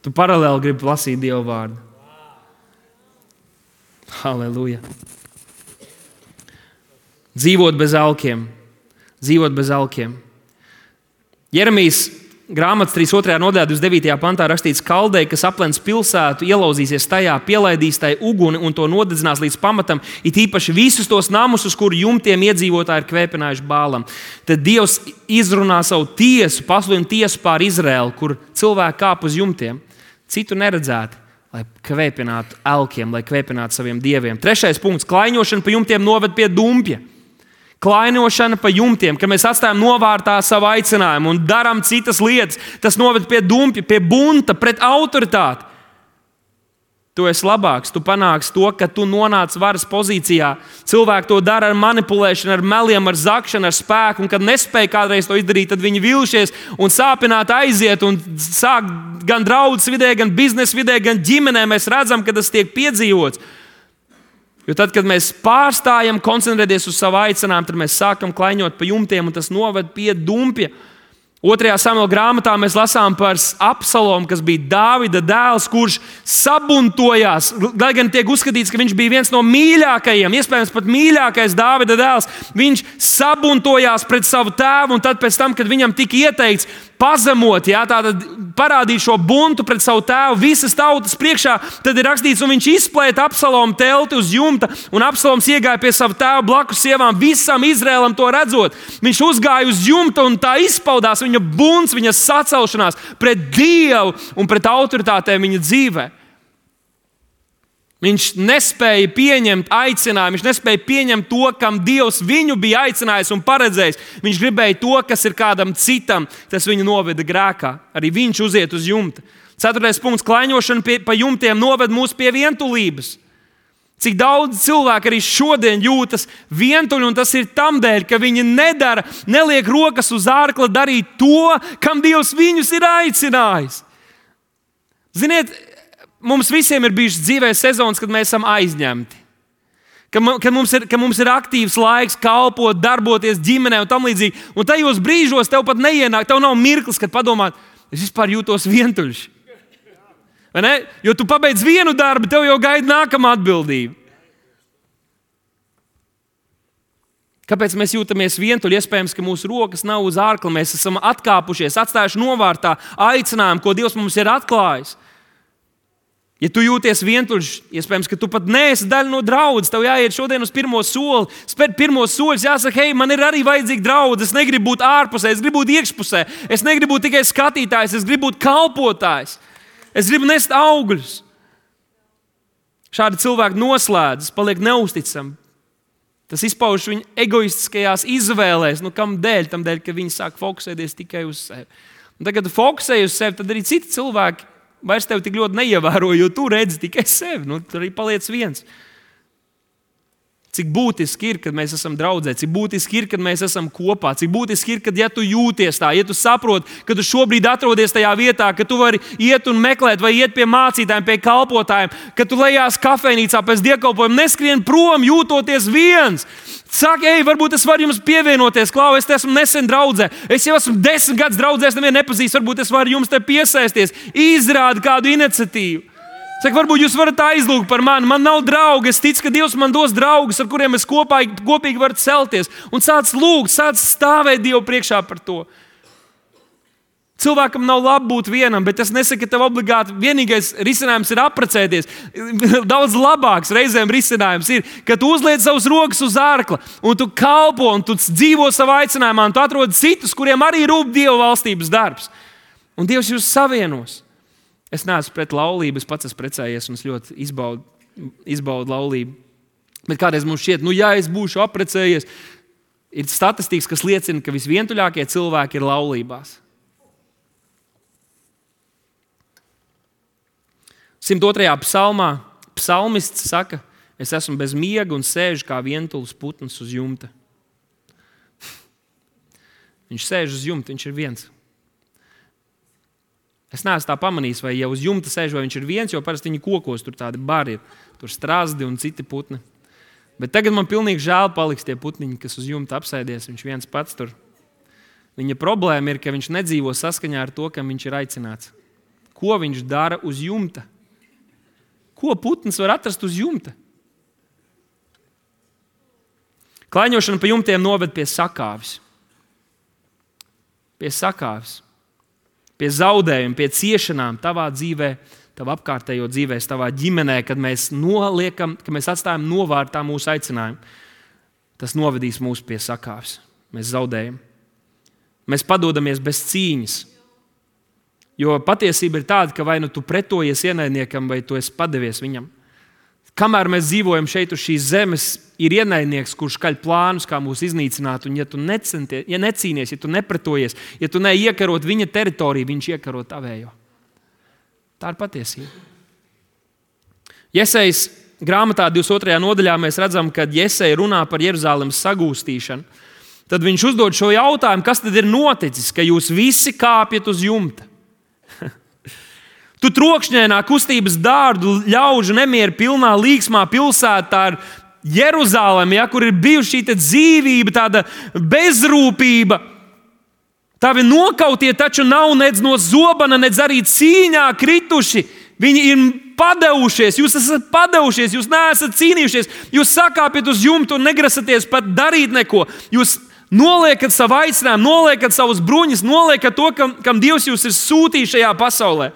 tu paralēli gribi lasīt Dieva vārdu. Halleluja. Dzīvot bez alkiem. Dzīvot bez alkiem. Jeremijas grāmatas 32. nodaļā 29. pantā rakstīts, kaldei, kas aplens pilsētu, ielauzīsies tajā, pielaidīs tai uguni un to nodedzinās līdz pamatam, it īpaši visus tos namus, uz kuru jumtiem iedzīvotāji ir kvēpinājuši Bālam. Tad Dievs izrunā savu tiesu, pasludina tiesu pār Izraēlu, kur cilvēki kāp uz jumtiem, citu neredzēti, lai kvēpinātu elkiem, lai kvēpinātu saviem dieviem. 3. punkts, klaiņošana pa jumtiem noved pie dumpja. Klainošana pa jumtiem, kad mēs atstājam novārtā savu aicinājumu un darām citas lietas, tas noved pie dumpja, pie bunta, pret autoritāti. Tu esi labāks, tu panāksi to, ka tu nonāc varas pozīcijā. Cilvēki to dara ar manipulēšanu, ar meliem, ar zakšanu, ar spēku, un kad nespēja kādreiz to izdarīt, tad viņi vilšies un sāpināti aiziet un sāk gan draudzes vidē, gan biznesa vidē, gan ģimenē. Mēs redzam, ka tas tiek piedzīvots. Jo tad, kad mēs pārstājam koncentrēties uz savu aicinājumu, tad mēs sākam klaiņot pa jumtiem, un tas noved pie dumpja. 2. Samuela grāmatā mēs lasām par Absalomu, kas bija Dāvida dēls, kurš sabuntojās. Lai gan tiek uzskatīts, ka viņš bija viens no mīļākajiem, iespējams pat mīļākais Dāvida dēls, viņš sabuntojās pret savu tēvu, un tad pēc tam, kad viņam tika ieteikts pazemot, tātad parādīt šo buntu pret savu tēvu visas tautas priekšā, tad ir rakstīts, un viņš izplēta Absalomu telti uz jumta, un Absaloms iegāja pie sava tēva blakus sievām, visam Izraēlam to redzot. Viņš uzgāja uz jumta, un tā izpaudās viņa bunts, viņa sacelšanās pret Dievu un pret autoritātēm viņa dzīvē. Viņš nespēja pieņemt aicinājumu, viņš nespēja pieņemt to, kam Dievs viņu bija aicinājis un paredzējis. Viņš gribēja to, kas ir kādam citam, tas viņu noveda grēkā. Arī viņš uziet uz jumta. 4. punkts, klaiņošana pa jumtiem noved mūs pie vientulības. Cik daudz cilvēku arī šodien jūtas vientuļi, un tas ir tam dēļ, ka viņi neliek rokas uz ārkla darīt to, kam Dievs viņus ir aicinājis. Ziniet, mums visiem ir bijušas dzīvē sezonas, kad mēs esam aizņemti. Kad mums ir aktīvs laiks kalpot, darboties ģimenē un tam līdzīgi. Un tajos brīžos tev pat neienāk, tev nav mirklis, kad padomāt, es vispār jūtos vientuļš. Vai ne? Jo tu pabeidz vienu darbu, tev jau gaida nākamā atbildība. Kāpēc mēs jūtamies vientuļi? Iespējams, ka mūsu rokas nav uz ārkla, mēs esam atkāpušies, atstājuši novārtā aicinājumu, ko Dievs mums ir atklājis. Ja tu jūties vientuļš, iespējams, ka tu pat neesi daļa no draudzes, tev jāiet šodien uz pirmo soli, spērt pirmo soļus, jāsaka, hei, man ir arī vajadzīga draudze, es negribu būt ārpusē, es gribu būt iekšpusē, es negribu būt tikai skatītājs, es gribu būt kalpotājs, es gribu nest augļus. Šādi cilvēki noslēdzas, paliek neusticami. Tas izpaužas viņu egoistiskajās izvēlēs, kam dēļ? Tam dēļ, ka viņi sāk fokusēties tikai uz sevi. Un tad, kad tu fokusēji uz sevi, tad arī citi cilvēki vairs tevi tik ļoti neievēro, jo tu redzi tikai sevi. Tur arī paliec viens. Cik būtiski ir, kad mēs esam draudzē, cik būtiski ir, kad mēs esam kopā, cik būtiski ir, kad ja tu jūties tā, ja tu saproti, ka tu šobrīd atrodies tajā vietā, ka tu vari iet un meklēt vai iet pie mācītājiem, pie kalpotājiem, ka tu lejās kafejnīcā pēc dievkalpojuma, neskrien prom, jūtoties viens. Saka, ej, varbūt es varu jums pievienoties, Klau, es esmu nesen draudzē, es jau esmu 10 gadus draudzē, es nevienu nepazīstu, varbūt es varu jums te piesaisties, izrādi kādu iniciatīvu. Saka, varbūt jūs varat aizlūgt par mani, man nav draugi, es ticu, ka Dievs man dos draugus, ar kuriem es kopīgi varu celties. Un sāc lūgt, sāc stāvēt Dievu priekšā par to. Cilvēkam nav labi būt vienam, bet tas nesaka, ka tev obligāti vienīgais risinājums ir apprecēties. Daudz labāks reizēm risinājums ir, ka tu uzliec savus rokas uz ārkla, un tu kalpo, un tu dzīvo savā aicinājumā, un tu atrod citus, kuriem arī rūp Dieva valstības darbs. Un Dievs jūs savienos. Es neesmu pret laulību, es pats esmu precējies un es ļoti izbaudu laulību. Bet kādreiz mums šķiet, ja es būšu apprecējies, ir statistikas, kas liecina, ka visvientuļākie cilvēki ir laulībās. 102. psalmā psalmists saka, es esmu bez miega un sēžu kā vientulis putns uz jumta. Viņš sēž uz jumta, viņš ir viens. Es neesmu tā pamanījis, vai uz jumta sēž, vai viņš ir viens, jo parasti viņi kokos, tur tādi bari ir, tur strazdi un citi putni. Bet tagad man pilnīgi žēl paliks tie putniņi, kas uz jumta apsēdies, viņš viens pats tur. Viņa problēma ir, ka viņš nedzīvo saskaņā ar to, kam viņš ir aicināts. Ko viņš dara uz jumta? Ko putns var atrast uz jumta? Klaiņošana pa jumtiem noved pie sakāves. Pie sakāves. Pie zaudējuma, pie ciešanām tavā dzīvē, tavā apkārtējo dzīvēs, tavā ģimenē, kad mēs atstājam novārtā mūsu aicinājumu. Tas novedīs mūs pie sakāves. Mēs zaudējam. Mēs padodamies bez cīņas. Jo patiesība ir tāda, ka vai nu tu pretojies ienaidniekam, vai tu esi padevies viņam. Kamēr mēs dzīvojam šeit uz šīs zemes, ir ienaidnieks, kurš kaļ plānus, kā mūs iznīcināt. Un ja tu necīnies, ja tu nepretojies, ja tu neiekarot viņa teritoriju, viņš iekaro tavējo. Tā ir patiesība. Jesejas grāmatā 22. nodaļā mēs redzam, kad Jeseja runā par Jeruzalemes sagūstīšanu. Tad viņš uzdod šo jautājumu, kas tad ir noticis, ka jūs visi kāpjat uz jumta? Tu trokšņainā kustības dārdu ļaužu nemieru pilnā līgsmā pilsētā ar Jeruzalemi, kur ir bijusi šī dzīvība, tāda bezrūpība. Tavi nokautie taču nav nedz no zobana, nedz arī cīņā krituši. Viņi ir padevušies, jūs esat padevušies, jūs neesat cīnījušies, jūs sakāpjat uz jumtu un negrasaties pat darīt neko. Jūs noliekat savu aicinājumu, noliekat savus bruņus, noliekat to, kam Dievs jūs ir sūtījis šajā pasaulē.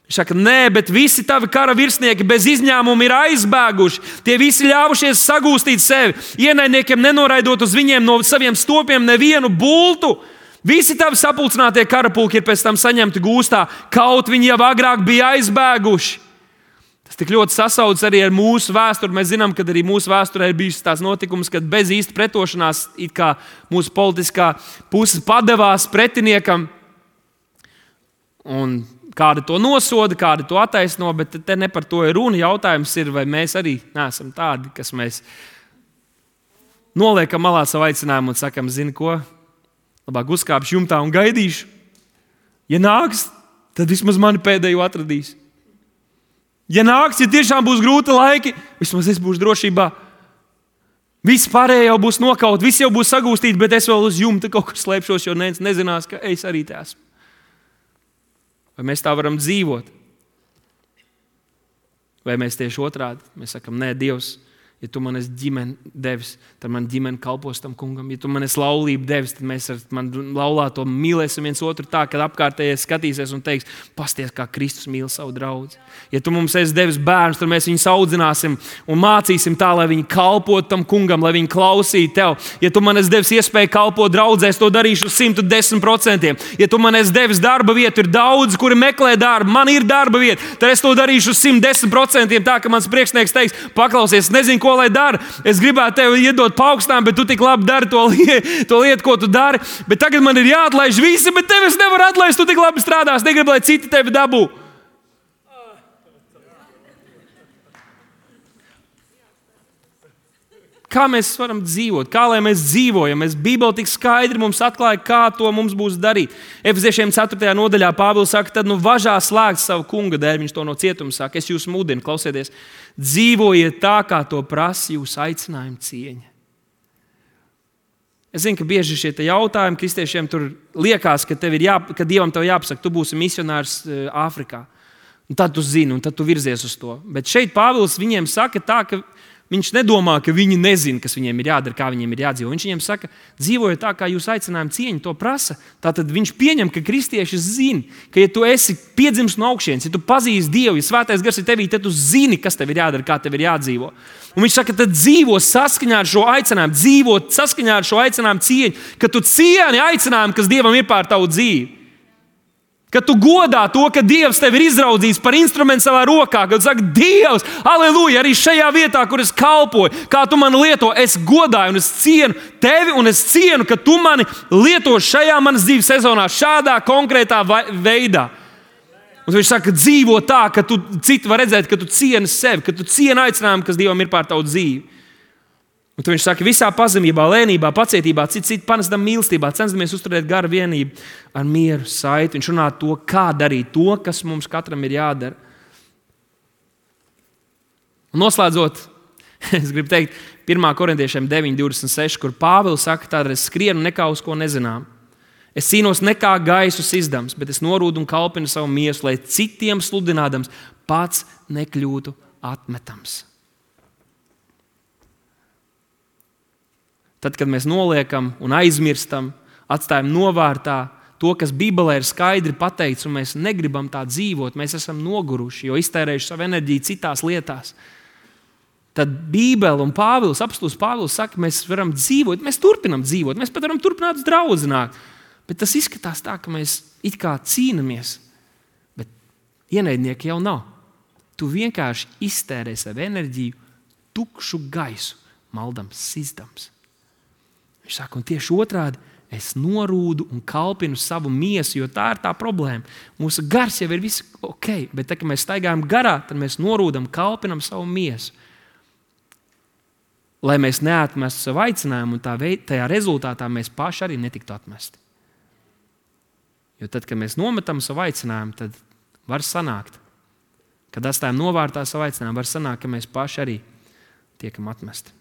Viņš saka, nē, bet visi tavi kara virsnieki bez izņēmuma ir aizbēguši. Tie visi ļāvušies sagūstīt sevi. Ienaidniekiem nenoraidot uz viņiem no saviem stopiem nevienu bultu. Visi tavi sapulcinātie karapulki ir pēc tam saņemti gūstā, kaut viņi jau agrāk bija aizbēguši. Tas tik ļoti sasaucas arī ar mūsu vēsturi. Mēs zinām, ka arī mūsu vēsturē ir bijis tās notikums, kad bez īsta pretošanās it kā mūsu politiskā puse padevās pretiniekam. Un kādi to nosoda, kādi to attaisno, bet te ne par to ir runa. Jautājums ir, vai mēs arī neesam tādi, kas mēs noliekam malā savu aicinājumu un sakam, zini ko, labāk uzkāpšu jumtā un gaidīšu. Ja nāks, tad vismaz mani pēdējo atradīs. Ja nāks, ja tiešām būs grūti laiki, vismaz es būšu drošībā. Visi pārējie jau būs nokaut, visi jau būs sagūstīti, bet es vēl uz jumta kaut kur slēpšos, jo neviens nezinās, ka es arī te esmu. Vai mēs tā varam dzīvot? Vai mēs tieši otrādi? Mēs sakam, nē, Dievs, ja tu man esi ģimeni devis, tad man ģimene kalpos tam kungam. Ja tu man esi laulību devis, tad mēs ar mani laulāto mīlēsim viens otru tā, kad apkārtējais skatīsies un teiks, pasties, kā Kristus mīl savu draudzi. Ja tu mums esi devis bērnus, tad mēs viņus audzināsim un mācīsim tā, lai viņi kalpotu tam kungam, lai viņi klausītu tev. Ja tu man esi devis iespēju kalpot draudzē, es to darīšu 110%. Ja tu man esi devis darba vietu, ir daudz, kuri meklē darbu, man ir darba vieta, tad es to darīšu 110%. Tā, ka mans priekšnieks teiks, paklausies, nezinu, ko lai dara. Es gribētu tev iedot paaugstinājumu, bet tu tik labi dari to lietu, ko tu dari. Bet tagad man ir jāatlaiž visi, bet tevi es nevaru atlaist, tu tik labi strādās, negribu, lai citi tevi dabū. Kā mēs varam dzīvot? Kā lai mēs dzīvojam? Bībele tik skaidri mums atklāja, kā to mums būs darīt. Efeziešiem 4. nodaļā Pāvils saka, tad važā slēgt savu kunga dēļ, viņš to no cietuma saka. Es jūs mudinu, klausieties, dzīvojiet tā, kā to prasa jūsu aicinājuma cieņa. Es zinu, ka bieži šie jautājumi kristiešiem tur liekas, ka Dievam tev jāpasaka, tu būsi misionārs Āfrikā. Un tad tu zini, un tad tu virzies uz to. Bet šeit Pāvils viņiem saka tā, ka viņš nedomā, ka viņi nezina, kas viņiem ir jādara, kā viņiem ir jādzīvo. Viņš viņiem saka, dzīvojiet tā, kā jūs aicinājuma cieņa to prasa. Tātad viņš pieņem, ka kristieši zina, ka ja tu esi piedzimis no augšienes, ja tu pazīsti Dievu, ja Svētais Gars ir tevī, tad tu zini, kas tev ir jādara, kā tev ir jādzīvo. Un viņš saka, tad dzīvo saskaņā ar šo aicinājumu, dzīvo saskaņā ar šo aicinājumu cieņu, ka tu cieni aicinājumu, kas Dievam ir pār tavu dzīvi. Kad tu godā to, ka Dievs tevi ir izraudzījis par instrumentu savā rokā, kad tu saki, Dievs, aleluja, arī šajā vietā, kur es kalpoju, kā tu mani lieto, es godāju un es cienu tevi un es cienu, ka tu mani lieto šajā manas dzīves sezonā, šādā konkrētā veidā. Un viņš saka, dzīvo tā, ka citi var redzēt, ka tu cieni sevi, ka tu cieni aicinājumu, kas Dievam ir pār tavu dzīvi. Un viņš saka, visā pazemībā, lēnībā, pacietībā, citu panestam mīlestībā, cenšamies uzturēt garu vienību ar mieru, saiti. Viņš runā to, kā darīt to, kas mums katram ir jādara. Un noslēdzot, es gribu teikt 1. Korintiešiem 9:26, kur Pāvils saka, tādēļ es skrienu nekā uz ko nezinām. Es cīnos nekā gaisu sizdams, bet es norūdu un kalpinu savu miesu, lai citiem sludinādams pats nekļūtu atmetams. Tad, kad mēs noliekam un aizmirstam, atstājam novārtā to, kas Bībelē ir skaidri pateikts, un mēs negribam tā dzīvot, mēs esam noguruši, jo iztērējuši savu enerģiju citās lietās, tad Bībele un Pāvils, apostuls Pāvils saka, mēs varam dzīvot, mēs turpinam dzīvot, mēs pat varam turpināt uz draudzināt. Bet tas izskatās tā, ka mēs it kā cīnamies, bet ienaidnieki jau nav. Tu vienkārši iztērē savu enerģiju, tukšu gaisu, maldams, sizdams. Viņš saka, un tieši otrādi, es norūdu un kalpinu savu miesu, jo tā ir tā problēma. Mūsu gars jau ir viss ok, bet tā, kad mēs staigājam garā, tad mēs norūdam, kalpinam savu miesu. Lai mēs neatmestu savu aicinājumu, un tajā rezultātā mēs paši arī netiktu atmesti. Jo tad, kad mēs nometam savu aicinājumu, tad var sanākt, kad atstājam novārtā savu aicinājumu, var sanākt, ka mēs paši arī tiekam atmesti.